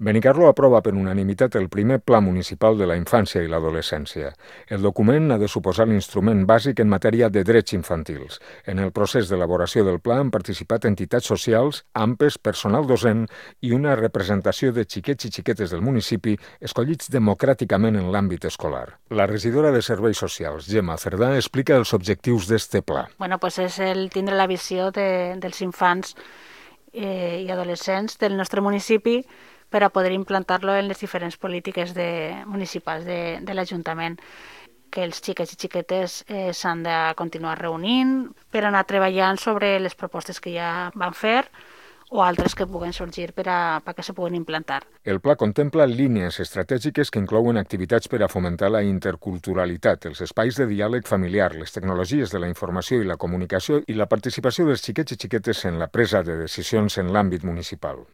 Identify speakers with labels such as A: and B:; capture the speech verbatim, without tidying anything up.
A: Benicarló aprova per unanimitat el primer Pla Municipal de la Infància i l'Adolescència. El document ha de suposar l'instrument bàsic en matèria de drets infantils. En el procés d'elaboració del pla han participat entitats socials, A M P E S, personal docent i una representació de xiquets i xiquetes del municipi escollits democràticament en l'àmbit escolar. La regidora de Serveis Socials, Gemma Cerdà, explica els objectius d'este pla.
B: Bueno, pues és el tindre la visió de, dels infants eh, i adolescents del nostre municipi per a poder implantar-lo en les diferents polítiques de, municipals de, de l'Ajuntament, que els xiquets i xiquetes eh, s'han de continuar reunint per anar treballant sobre les propostes que ja van fer o altres que puguen sorgir per a, perquè se puguen implantar.
A: El pla contempla línies estratègiques que inclouen activitats per a fomentar la interculturalitat, els espais de diàleg familiar, les tecnologies de la informació i la comunicació i la participació dels xiquets i xiquetes en la presa de decisions en l'àmbit municipal.